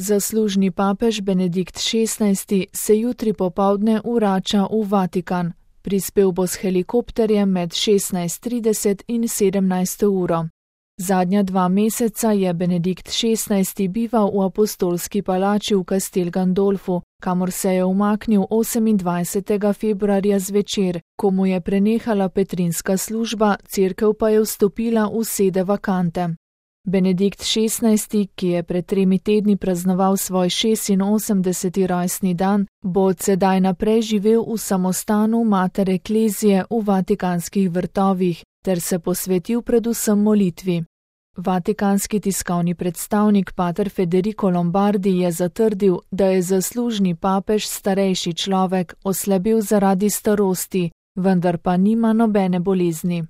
Zaslužni papež Benedikt XVI se jutri popoldne vrača v Vatikan. Prispel bo s helikopterjem med 16:30 in 17. uro. Zadnja 2 meseca je Benedikt XVI bival v apostolski palači v Castel Gandolfu, kamor se je umaknil 28. februarja zvečer, ko mu je prenehala petrinska služba, cerkev pa je vstopila v sede vakante. Benedikt XVI, ki je pred 3 tedni praznoval svoj 86. rojstni dan, bo od sedaj naprej živel v samostanu Mater Ecclesiae v Vatikanskih vrtovih ter se posvetil predvsem molitvi. Vatikanski tiskovni predstavnik pater Federico Lombardi je zatrdil, da je zaslužni papež starejši človek, oslabil zaradi starosti, vendar pa nima nobene bolezni.